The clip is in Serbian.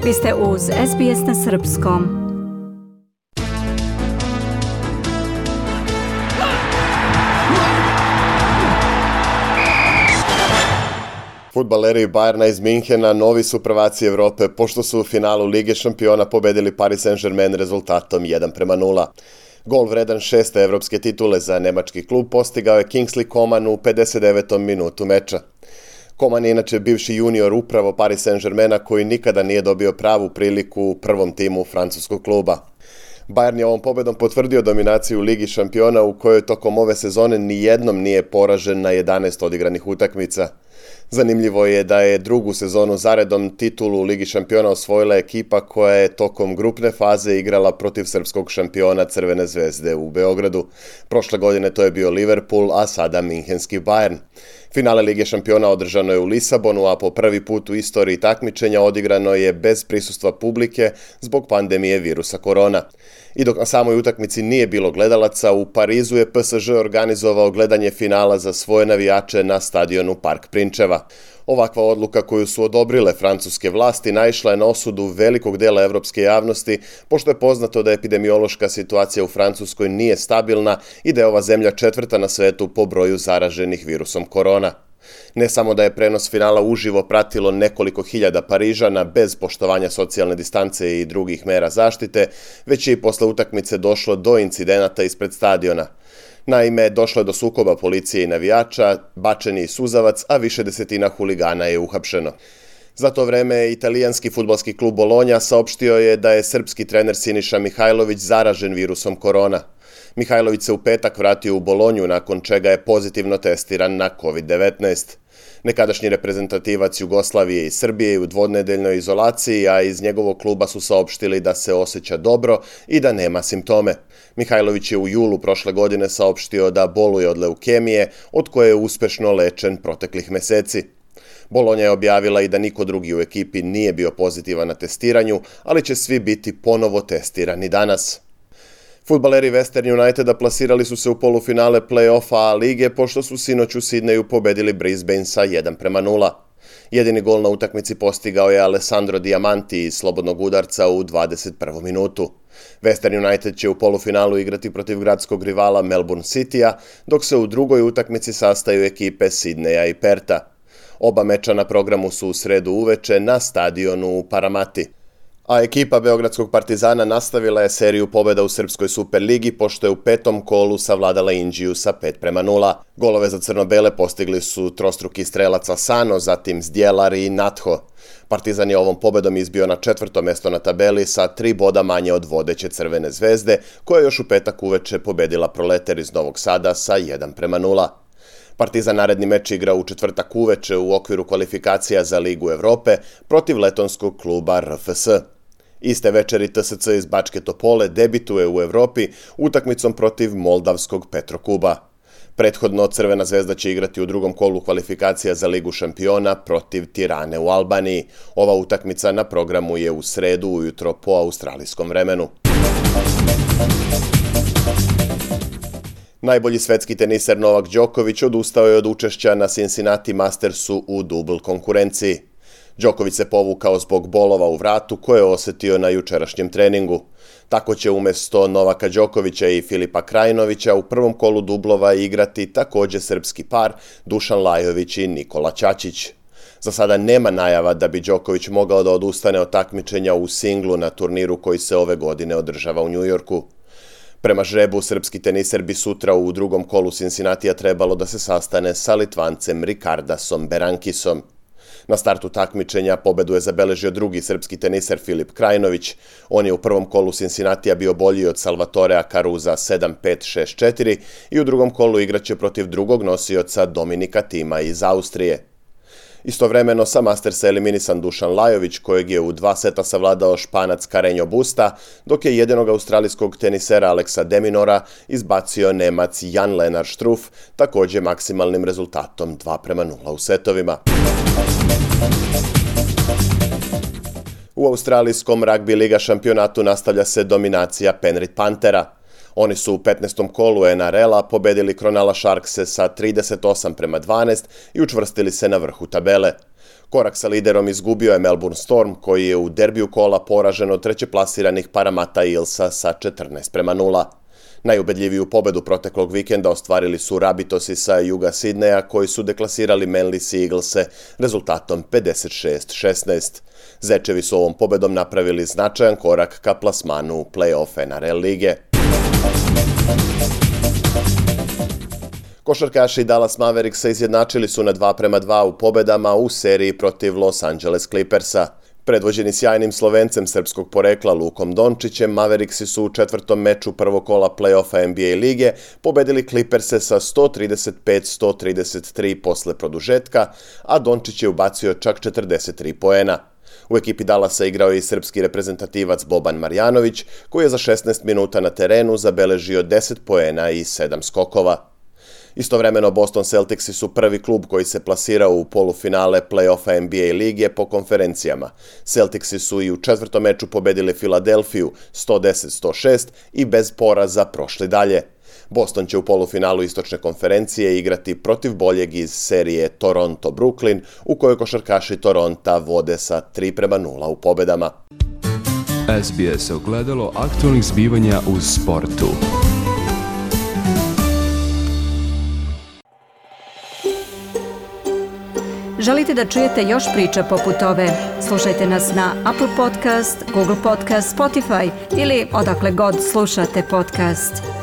Vi ste uz SBS na srpskom. Fudbaleri Bayerna iz Minhena novi su prvaci Evrope pošto su u finalu Lige šampiona pobedili Paris Saint-Germain rezultatom 1:0. Gol vredan 6. evropske titule za nemački klub postigao je Kingsley Coman u 59. minutu meča. Coman je inače bivši junior upravo Paris Saint-Germaina koji nikada nije dobio pravu priliku u prvom timu francuskog kluba. Bayern je ovom pobedom potvrdio dominaciju u Ligi šampiona u kojoj tokom ove sezone nijednom nije poražen na 11 odigranih utakmica. Zanimljivo je da je drugu sezonu zaredom titulu u Ligi šampiona osvojila ekipa koja je tokom grupne faze igrala protiv srpskog šampiona Crvene zvezde u Beogradu. Prošle godine to je bio Liverpool, a sada minhenski Bayern. Finale Lige šampiona održano je u Lisabonu, a po prvi put u istoriji takmičenja odigrano je bez prisustva publike zbog pandemije virusa korona. I dok na samoj utakmici nije bilo gledalaca, u Parizu je PSG organizovao gledanje finala za svoje navijače na stadionu Park Prinčeva. Ovakva odluka koju su odobrile francuske vlasti naišla je na osudu velikog dela evropske javnosti, pošto je poznato da epidemiološka situacija u Francuskoj nije stabilna i da je ova zemlja četvrta na svetu po broju zaraženih virusom korona. Ne samo da je prenos finala uživo pratilo nekoliko hiljada Parižana bez poštovanja socijalne distance i drugih mera zaštite, već je i posle utakmice došlo do incidenata ispred stadiona. Naime, došlo je do sukoba policije i navijača, bačen je suzavac, a više desetina huligana je uhapšeno. Za to vreme italijanski fudbalski klub Bolonja saopštio je da je srpski trener Siniša Mihajlović zaražen virusom korona. Mihajlović se u petak vratio u Bolonju, nakon čega je pozitivno testiran na COVID-19. Nekadašnji reprezentativac Jugoslavije i Srbije je u dvodnedeljnoj izolaciji, a iz njegovog kluba su saopštili da se osjeća dobro i da nema simptome. Mihajlović je u julu prošle godine saopštio da boluje od leukemije, od koje je uspešno lečen proteklih meseci. Bolonja je objavila i da niko drugi u ekipi nije bio pozitivan na testiranju, ali će svi biti ponovo testirani danas. Fudbaleri Western Uniteda plasirali su se u polufinale play-offa A lige pošto su sinoć u Sidneju pobedili Brisbane sa 1:0. Jedini gol na utakmici postigao je Alessandro Diamanti iz slobodnog udarca u 21. minutu. Western United će u polufinalu igrati protiv gradskog rivala Melbourne Citya, dok se u drugoj utakmici sastaju ekipe Sidneja i Perta. Oba meča na programu su u sredu uveče na stadionu u Paramati. A ekipa Beogradskog Partizana nastavila je seriju pobjeda u Srpskoj Superligi pošto je u petom kolu savladala Inđiju sa 5:0. Golove za crno-bele postigli su trostruki strelac Asano, zatim Zdjelar i Natho. Partizan je ovom pobedom izbio na 4. mesto na tabeli sa 3 boda manje od vodeće Crvene zvezde, koja je još u petak uveče pobedila Proleter iz Novog Sada sa 1:0. Partizan naredni meč igra u četvrtak uveče u okviru kvalifikacija za Ligu Evrope protiv letonskog kluba RFS. Iste večeri TSC iz Bačke Topole debituje u Evropi utakmicom protiv moldavskog Petrokuba. Prethodno Crvena zvezda će igrati u drugom kolu kvalifikacija za Ligu šampiona protiv Tirane u Albaniji. Ova utakmica na programu je u sredu ujutro po australijskom vremenu. Najbolji svetski teniser Novak Đoković odustao je od učešća na Cincinnati Mastersu u dubl konkurenciji. Đoković se povukao zbog bolova u vratu koje je osetio na jučerašnjem treningu. Tako će umjesto Novaka Đokovića i Filipa Krajinovića u prvom kolu dublova igrati također srpski par Dušan Lajović i Nikola Ćaćić. Za sada nema najava da bi Đoković mogao da odustane od takmičenja u singlu na turniru koji se ove godine održava u Njujorku. Prema žrebu, srpski teniser bi sutra u drugom kolu Cincinnatija trebalo da se sastane sa Litvancem Rikardasom Berankisom. Na startu takmičenja pobedu je zabeležio drugi srpski teniser Filip Krajinović. On je u prvom kolu Cincinnatija bio bolji od Salvatorea Caruza 7-5-6-4 i u drugom kolu igraće protiv drugog nosioca Dominika Tima iz Austrije. Istovremeno sa Mastersa eliminisan Dušan Lajović, kojeg je u 2 seta savladao Španac Carreño Busta, dok je jedinog australijskog tenisera Alexa de Minaura izbacio Nemac Jan-Lennard Struff, također maksimalnim rezultatom 2:0 u setovima. U australijskom ragbi liga šampionatu nastavlja se dominacija Penrith Panthera. Oni su u 15. kolu NRL-a pobedili Cronulla Sharkse sa 38:12 i učvrstili se na vrhu tabele. Korak sa liderom izgubio je Melbourne Storm, koji je u derbiju kola poražen od trećeplasiranih Parramatta Eelsa sa 14:0. Najubedljiviju pobedu proteklog vikenda ostvarili su Rabbitohsi sa juga Sidneja, koji su deklasirali Manly Sea Eaglese rezultatom 56-16. Zečevi su ovom pobedom napravili značajan korak ka plasmanu u play-off NRL lige. Košarkaši Dallas Mavericksa izjednačili su na 2:2 u pobedama u seriji protiv Los Angeles Clippersa. Predvođeni sjajnim Slovencem srpskog porekla Lukom Dončićem, Mavericksi su u četvrtom meču prvog kola play-offa NBA lige pobedili Clipperse sa 135-133 posle produžetka, a Dončić je ubacio čak 43 poena. U ekipi Dallasa igrao je i srpski reprezentativac Boban Marjanović, koji je za 16 minuta na terenu zabeležio 10 poena i 7 skokova. Istovremeno, Boston Celticsi su prvi klub koji se plasirao u polufinale play-offa NBA lige po konferencijama. Celticsi su i u četvrtom meču pobedili Filadelfiju 110-106 i bez poraza prošli dalje. Boston će u polufinalu istočne konferencije igrati protiv boljeg iz serije Toronto-Brooklyn, u kojoj košarkaši Toronta vode sa 3:0 u pobedama. SBS ogledalo aktualnih zbivanja u sportu. Želite da čujete još priča poput ove? Slušajte nas na Apple Podcast, Google Podcast, Spotify ili odakle god slušate podcast.